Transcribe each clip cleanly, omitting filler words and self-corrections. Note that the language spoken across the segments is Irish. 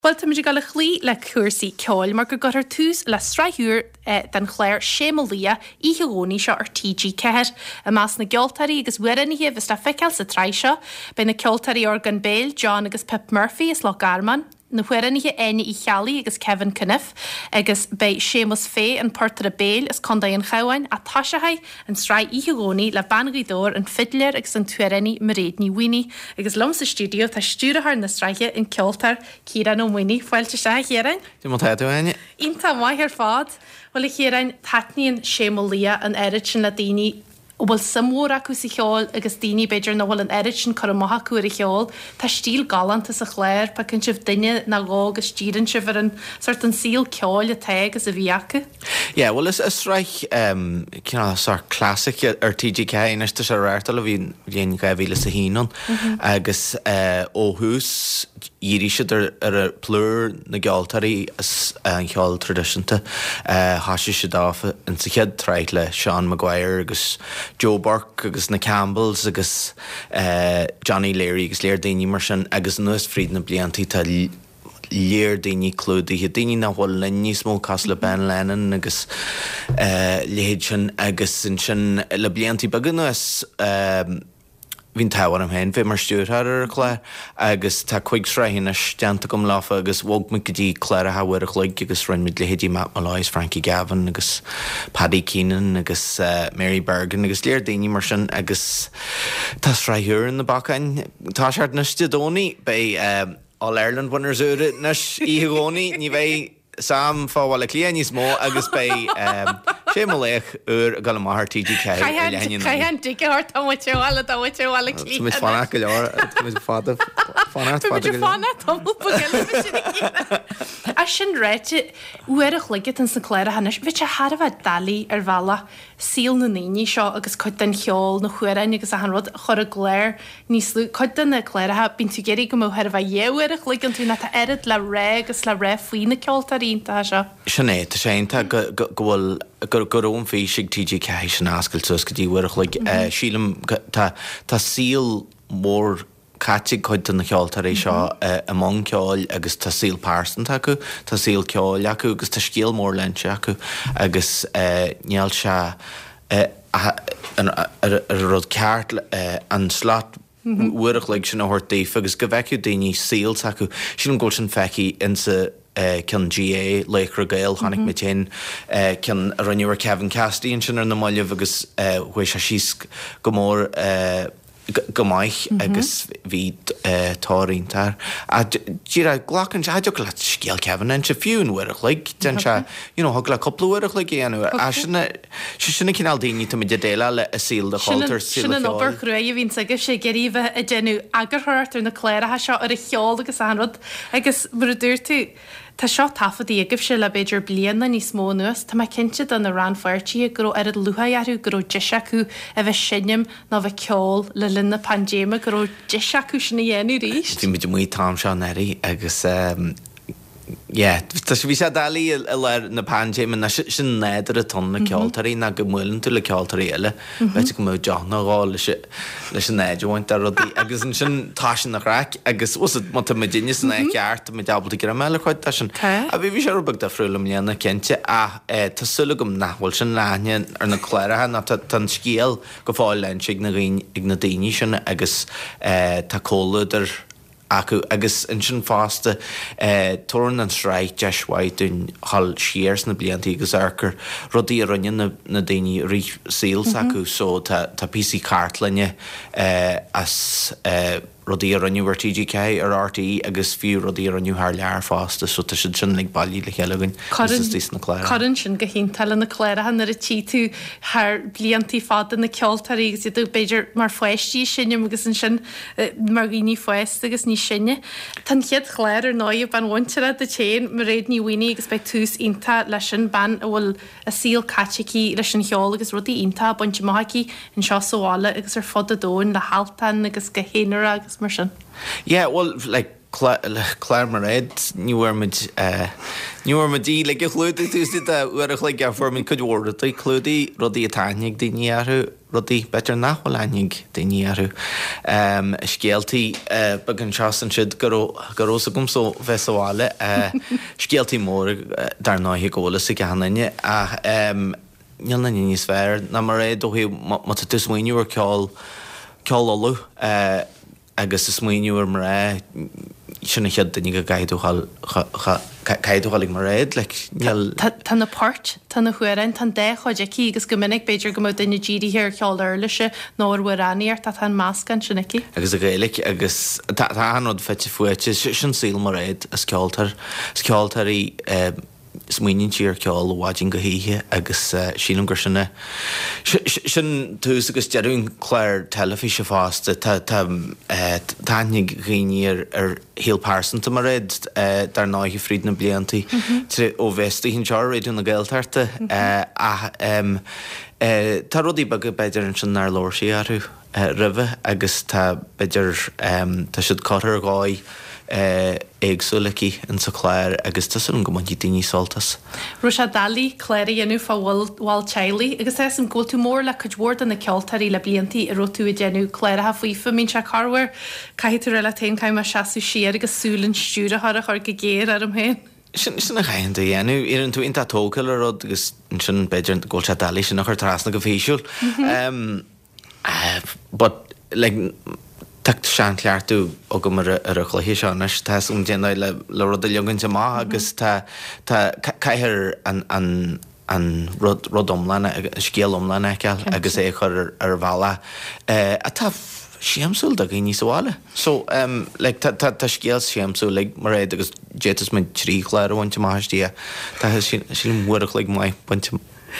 Bhuel, táimid ag dul a chloí le cúrsaí ceoil mar go gcuirfear tús le sraith úr den chlár Sé Mo Laoch oíche Dhomhnaigh seo ar TG4. I measc na gceoltóirí agus amhránaithe a bheas le feiceáil sa tsraith seo, beidh na ceoltóirí orgán béil John agus Pip Murphy as Loch Garman, na hamhránaithe Áine Uí Cheallaigh agus Kevin Cunniffe agus beidh Séamus Fay, an portaire béil as Contae an Chabháin, ach toiseoidh an tsraith oíche Dhomhnaigh le bean Ghaoth Dobhair, an fidléir agus an t-amhránaí Mairéad Ní Mhaonaigh. Agus liom sa stiúideo tá stiúrthóir na sraithe, an ceoltóir Ciarán Ó Maonaigh. Fáilte isteach, a Chiaráin. Cad é mar tá tú, a Áine? Iontach maith ar fad. Bhuel, a Chiaráin, taitníonn Sé Mo Laoch an oiread sin le daoine a bhfuil suim mhór acu sa cheol agus daoine, b'fhéidir, nach bhfuil an oiread sin cur amach acu ar an cheol. Tá stíl galánta sa chlár, piocann sibh duine nó dhó agus díríonn sibh ar an sórt an saol ceoil atá agus a bhí acu. Yeah, bhuel is sraith cineál sórt classic ar TG4 anois, tá sé á reáchtáil ó bhí an bhliain 2001 ann agus ó thús dhírigh siad ar ar plúr na gceoltóirí as an cheol traidisiúnta. Thoisigh siad off in sa chéad tsraith le Seán Maguire agus Joe Burke agus na Campbells agus Johnny Leary agus léar daoine mar sin agus anuas fríd na blianta tá léar daoine clúdaithe, daoine nach bhfuil linn níos mó cosúil le Ben Lennon agus a leithéid sin agus ansin le blianta beaga anuas, Bhí an t-ádh orm féin bheith mar stiúrthóir ar an chlár agus tá cuig sraith anois déanta agam leofa agus bhog muid go dtí cláracha uair a chloig agus rinne muid leithéidí Matt Molloy is Frankie Gavin agus Paddy Keenan agus Mary Bergin agus léar daoine mar sin agus tá sraith úr ar na bacáin. Tá sé anois Dé Domhnaigh, beidh All Ireland winners úr anois oíche Dhomhnaigh, ní bheidh Sam fá Bhaile Átha Cliath níos mó agus beidh Sé Mo Laoch úr ag dul amach ar TG4 ar leath i ndiaidh a naoi. Caithfidh an dig a thabhairt tá muid ar bhaile tá muid ar Bhaile Átha Cliath. Tá muid fanacht go leor tá muid fada fanacht fada go leor. Fanacht tamall beag eile muid ina chéile. Ach sin ráite, uair a chloig atá sna cláracha anois, bheadh sé thar a bheith doiligh ar bhealach saol na ndaoine seo agus cuid den cheol, na hamhráin agus achan rud a chur i gclár níos lú. Cuid de na cláracha, bíonn tú ag iarraidh go mbeadh chóir a bheith dhá uair a chloig iontu nó tá oiread le rá agus le rá faoi na ceoltóirí iontacha seo. Sin é, tá sé iontach go, go, go bhfuil, go, go raibh an fís ag TG4 sin a oscailt suas go dtí uair a chloig. Sílim go, tá, tá saol mór caite ag cuid de na ceoltóirí seo i mbun ceoil agus tá saol pearsanta acu, tá saol ceoil acu agus tá scéal mór le inse acu agus níl sé an rud ceart an slot uair a chloig sin a thabhairt daofa agus go bhfeicfeadh daoine saol s'acu. Sílim go bhfuil sin feicthe insa ceann GAA, Laochra Gael, chonaic muid féin ceann a rinneadh ar Kevin Cassidy ansin ar na mallaibh agus chuaigh sé síos go mór go maith agus bhí tóir iontach air. Ach díreach glacann sé, thiocfadh leat scéal Kevin a inse fiú in uair a chloig, déan sé, you know, thig leat cúpla uair a chloig a dhéanamh. Ach sin, sé sin an cineál daoine tá muid ag déileáil le i saol an chultúir, saol Sin an obair chruaidh a bhíonns agaibhse ag iarraidh a bheith ag déanamh eagarthóireacht ar na cláracha seo, ar an cheol agus achan rud. Agus mar a dúirt tú, Tá seo taifeadta agaibhse le b'fhéidir bliain nó níos mó anuas. Tá mé cinnte do na rannpháirtithe go raibh oiread lúcháir orthu go raibh deis acu a bheith seinm nó a bheith ceol le linn na paindéime, go raibh deis acu sin a dhéanamh arís. Bhí muid amuigh an t-am seo anuraidh agus yeah, tá sé, bhí sé doiligh i lár na paindéime, nó sin nádúr atá ann le ceoltóirí ná go mbuaileann tú le ceoltóirí eile, b'fhéidir go mbeadh deoch nó dhó leis leis an áit a bhaint de rudaí agus ansin toisíonn an chraic agus bhfuil 's má tá muidinne san áit cheart tá muid ábalta greim a fháil ar chuid de sin. Tá. Bhí bhí sé rud beag difriúil i mbliana cinnte ach tá súil agam nach bhfuil sin le haithne ar na cláracha nó tá tá an scéal go fóill le inse ag na dhaoine ag na daoine sin agus tá comhluadar acu agus ansin fosta tabharann an tsraith deis mhaith dúinn dhul siar sna blianta agus amharc ar rudaí a rinne na daoine i rith saol s'acu so tá tá píosaí cartlainne as rudaí a rinneadh ar TG4, ar RTÉ agus fiú rudaí a rinneadh thar lear fosta so tá siad sin uilig bailithe le chéile againn agus istigh sna cláracha. Cuireann sin go hiontach le na cláracha nuair a tchí tú thar bliantaí fada na ceoltóirí agus iad b'fhéidir mar pháistí ag seinm agus ansin mar dhaoine fásta agus níos sine. Tá an chéad chlár ar ndóigh, bean mhuinteartha duit féin, Mairéad Ní Mhaonaigh agus beidh tús iontach leis sin, bean a bhfuil a saol caite aici leis an cheol agus rudaí iontacha bainte amach aici anseo sa bhaile agus ar fud an domhain le hAltan agus go haonarach agus mar sin. Yeah, well, like. Clár Mairéad, ní bhfuair muid, ní bhfuair muid í uilig a chlúdú taobh istigh de uair a chloig ach fuair muid cuid mhór rudaí clúdaithe, rudaí atá aithne ag daoine orthu, rudaí b'fhéidir nach bhfuil aithne ag daoine orthu, scéaltaí beaga anseo is ansiúd go raibh, go raibh 's agamsa ó bheith sa bhaile, scéaltaí móra dar ndóighe go bhfuil fhios ag achan duine ach níl aon duine níos fearr ná Mairéad ó thaobh má tá tú ag smaoineamh ar ceol, ceol Uladh. Agus ag smaoineamh ar mná, sin an chéad duine go gcaithfidh tú dhul, caithfidh tú dhul ag Mairéad, like, níl. Tá na poirt, tá na hamhráin, tá an dá chuid aici agus go minic b'fhéidir go mbeadh duine dírithe ar cheol uirlise nó ar amhránaíocht ach tá an meascán sin aici. Agus an Ghaeilge agus tá achan rud fite fuaite, sin saol Mairéad, is ceoltóir, is ceoltóir í. Smaoiníonn sí ar cheol ó mhaidin go hoíche agus sílim gur sin é, sin tús agus deireadh an chláir teilifíse fosta. Tá tá aithne ag dhaoine ar ar shaol pearsanta Mairéad dar ndóighe fríd na blianta ó bheith istigh anseo ar Raidió na Gaeltachta ach tá rudaí beaga b'fhéidir ansin nár labhair sí orthu. roimhe agus tá, b'fhéidir, tá siad curtha ar dhóigh éagsúil aici insa chlár agus tá súil agam go mbainfidh daoine sult as. Raibh sé doiligh clár a dhéanamh fá bhaill teaghlaigh agus tá 'fhios a'm go bhfuil tú mór le cuid mhór de na ceoltóirí le bliantaí a raibh tú ag déanamh cláracha faofa. Mbíonn sé corruair, caithfidh tú rá leat féin, caithfidh mé seasamh siar agus súil an stiúrthóra a chur go géar orm féin. Sin, sin a chaitheann tú a dhéanamh. Éiríonn tú iontach tógtha le rud agus ansin b'fhéidir go bhfuil sé doiligh sin a chur trasna go físiúil. But like tá seanchleachtadh agam ar an chluiche seo anois, tá 'fhios agam cén dóigh le le rud a leagaint amach agus tá tá caithfear an an an rud rud iomlán an scéal iomlán a fheiceáil agus é a chur ar bhealach atá siamsúil do dhaoine sa bhaile. So like tá tá tá scéal siamsúil ag Mairéad agus d'fhéadfadh muid 3 chlár a bhaint amach aisti tá sílim uair a chloig maith bainte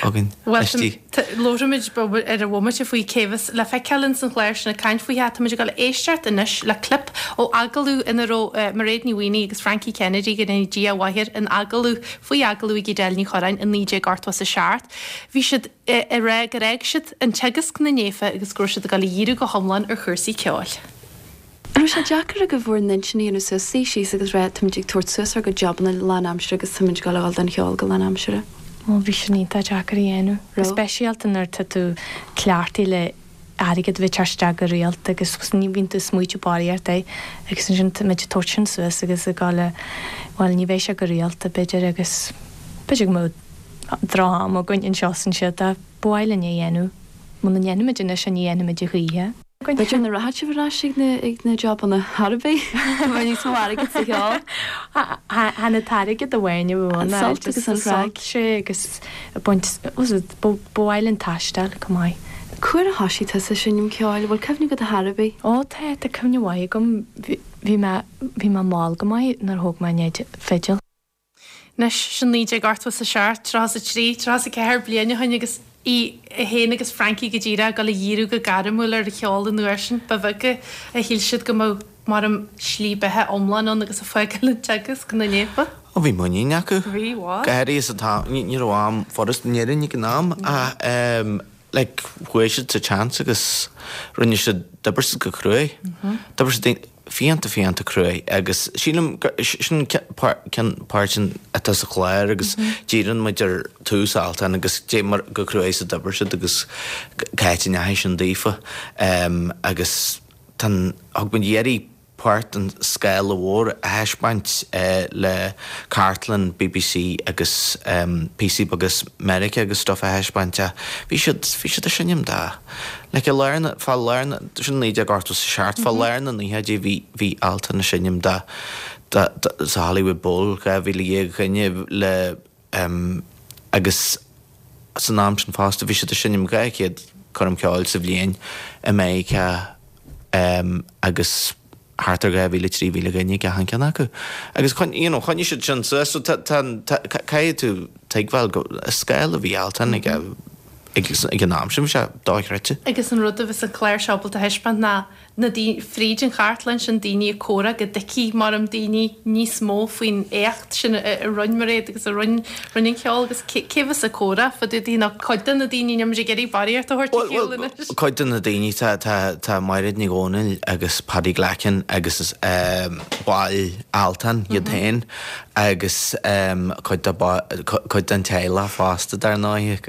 againn Bhuel, aisti. Labhróimid ar an bhomaite faoi cé bheas le feiceáil ins an chlár sin ag caint faoi. Táimid ag dul a éisteacht anois le clip ó agallamh ina raibh Mairéad Ní Mhaonaigh agus Frankie Kennedy, go ndéana Dia a mhaith air, in agallamh, faoi agallamh ag Edel Ní Chorráin i 1987. Bhí siad ag rá gur fhág siad an teagasc na naofa agus go raibh siad ag dul a dhíriú go hiomlán ar chúrsaí ceoil. An raibh sé deacair agaibh bhur n-intinn a dhéanamh suas, suí síos agus rá táimid ag tabhairt suas ár gcuid jabanna lánaimseartha agus táimid ag dul a dhul don cheol go lánaimseartha? Bhuel bhí sin iontach deacair a dhéanamh, go speisialta nuair atá tú cleachtaithe le airgead a bheith ag teacht isteach go rialta agus ní bhíonn tú ag smaoitiú barraíocht air agus ansin tá muid ag tabhairt sin suas agus ag dul a, bhuel ní bheidh sé go rialta b'fhéidir agus b'fhéidir go mbeadh droch-am againn anseo is ansiúd ach ba mhaith linn é a dhéanamh. Muna ndéanfaimid anois é ní dhéanfaimid a choíche. B'fhéidir nach rachadh sibh ar ais ag na ag na jabanna thar a bith. Go mbeadh níos mó airgid sa cheol. Chan an t-airgead amháin a bhí ann. An sult agus an chraic. Sé agus baint ba mhaith linn taisteal chomh maith. Cá huair a thoisigh tusa ag seinm ceoil? Bhfuil cuimhne agat ar chor ar bith? Ó tá, tá cuimhne mhaith agam. Bhí mé bhí mé mall go maith nuair a thóg mé an fidil. Anois, sin 1987, 33, 34 bliain ó shin agus í féin agus Frankie go díreach ag dul a dhíriú go gairmiúil ar an cheol an uair sin. Ba bheag a shíl siad go mbeadh mar an slí beatha iomlán ann agus ag fágáil an teagasc na naofa. Ó bhí muinín acu. Bhí, bhuel. Go háirithe sa t-am, ní raibh am furast in Éirinn ag an am ach like chuaigh siad sa tseans agus rinne siad, d'oibir siad go cruaidh. D'oibir siad fiánta fiánta cruaidh agus sílim gur sin ceann páirt atá sa chlár agus díríonn muid ar tús Altan agus dé mar go cruaidh is a d'oibir siad agus cá háit a ndeachaigh sin daofa agus tá an thug muid iarraidh páirt den scála mhór a thaispeáint le cartlann bbc agus píosaí beaga as Meiriceá agus stuff a thaispeáint ach bhí siad bhí siad ag seinm do like i lár na fá lár na sin 1987 fá lár na naochaidí bhí bhí Altan ag seinm do do do sa Hollywood Bowl 12,000 dhuine le agus san am sin fosta bhí siad ag seinm 200 coirm cheoil sa bhliain i Meiriceá agus thart ar 2,000, 3,000 dhuine ag achan ceann acu. Agus you know, choinnigh siad sin suas so tá, tá, tá, caithfidh tú tuigbheáil go, scála a bhí Altan ag. Ag an am sin bhí sé dochreidte. Agus an rud a bheas an clár seo ábalta a thaispeáint ná na daoine, fríd an chartlann sin, daoine ag comhrá go dtuigfidh mar daoine níos mó faoin éacht sin a rinne Mairéad agus a rinne rinne an ceol agus cé cé bheas ag comhrá fá dtaobh di nó cuid de na daoine, níl muid ag iarraidh barraíocht a thabhairt ar shiúl anois. Cuid de na daoine, tá tá tá Mairéad Ní Dhomhnaill agus Paddy Glackin agus baill Altan iad féin agus cuid de cuid den teaghlach fosta dar ndóigh.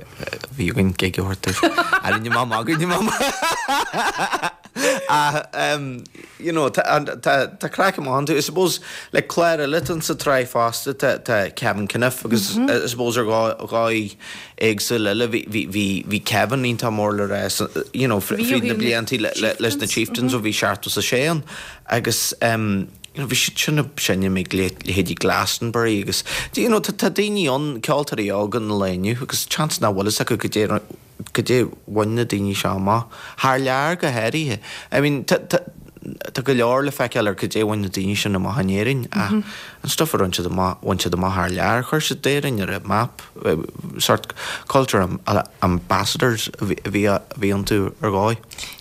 Bhí againn gig a thabhairt dóibh. Rinne mé magadh, rinne mé magadh. Ach you know tá tá craic amach iontu. I suppose le clár eile atá sa tsraith fosta tá tá Kevin Cunniffe agus I suppose ar dhóigh éagsúil eile bhí bhí bhí bhí Kevin iontach mór le rá you know fríd na blianta leis na Chieftains ó bhí 76 ann agus you know bhí siad sin ag seinm ag leithéidí Glastonbury agus you know tá tá daoine ann, ceoltóirí óga an lae inniu agus seans nach bhfuil fhios acu goidé goidé bhain na daoine seo amach, thar lear go háirithe. I mean tá tá tá go leor le feiceáil ar goidé bhain na daoine sin amach in Éirinn ach an stuff a rinne siad amach, bhain siad amach thar lear, chuir siad Éirinn ar an map, sort culture ambassadors a bhí a bhí iontu ar dhóigh.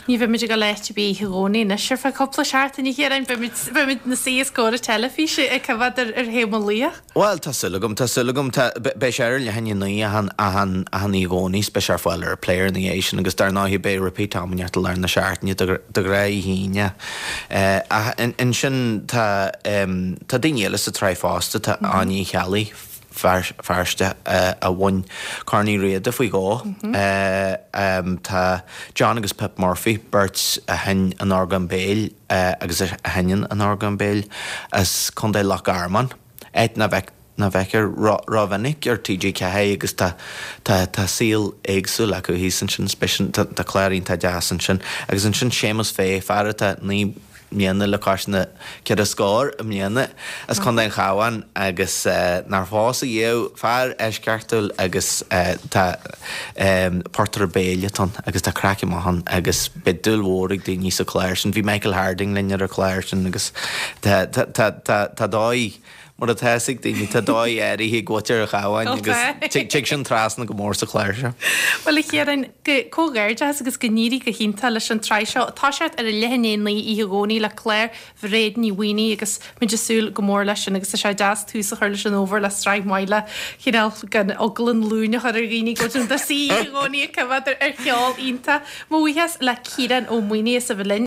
Ní bheimid ag dul áit ar bith oíche Dhomhnaigh anois ar feadh cúpla seachtain, a Chiaráin. Beimid, beimid 'na suí os comhair an teilifíse ag coimhéad ar, ar Sé Mo Laoch. Bhuel, tá súil agam, tá súil agam. Tá, beidh sé ar leath i ndiaidh a 9 achan, achan, achan oíche Dhomhnaigh is beidh sé ar fáil ar iPlayer ina dhiaidh sin agus dar ndóigh beidh repeat am inteacht i lár na seachtaine de, de ghnáth oíche Aoine. Ach ansin tá, tá daoine eile sa tsraith fosta, tá Áine Uí Cheallaigh, Feirste a bhain Corn Uí Riada faoi dhó. Tá John agus Pip Murphy, beirt a sheinn an orgán béil agus a sheinneann an orgán béil as Contae Loch Garman, áit nach bhfeictear rómhinic ar TG4 agus tá tá saol éagsúil acu thíos ansin. Tá clár iontach deas ansin. Agus ansin Séamus Fay, fear atá 9 mbliana le cois na ceithre scór i mbliana, as Contae an Chabháin agus nár phós ariamh, fear eisceachtúil agus tá portaire béil atá ann agus tá craic amach ann agus beidh dúil mhór ag daoine sa chlár sin. Bhí Michael Harding linn ar an chlár sin agus tá tá tá tá tá dóigh Mar atá fhios ag daoine, tá dóigh áirithe ag muintir an Chabháin agus tig sin trasna go mór sa chlár seo. Bhuel, a Chiaráin, comhghairdeachas agus go n-éirí go hiontach leis an tsraith seo. Toiseacht ar a leath i ndiaidh a 9 oíche Dhomhnaigh le clár Mhairéad Ní Mhaonaigh agus muid ag súil go mór leis sin agus tá sé deas tús a chur leis an fhómhar le sraith mhaith le chineál gan eagla an luain a chur ar dhaoine go dtí an oíche Dhomhnaigh ag coimhéad ar cheol iontach. Mo bhuíochas le Ciarán Ó Maonaigh as a bheith linn.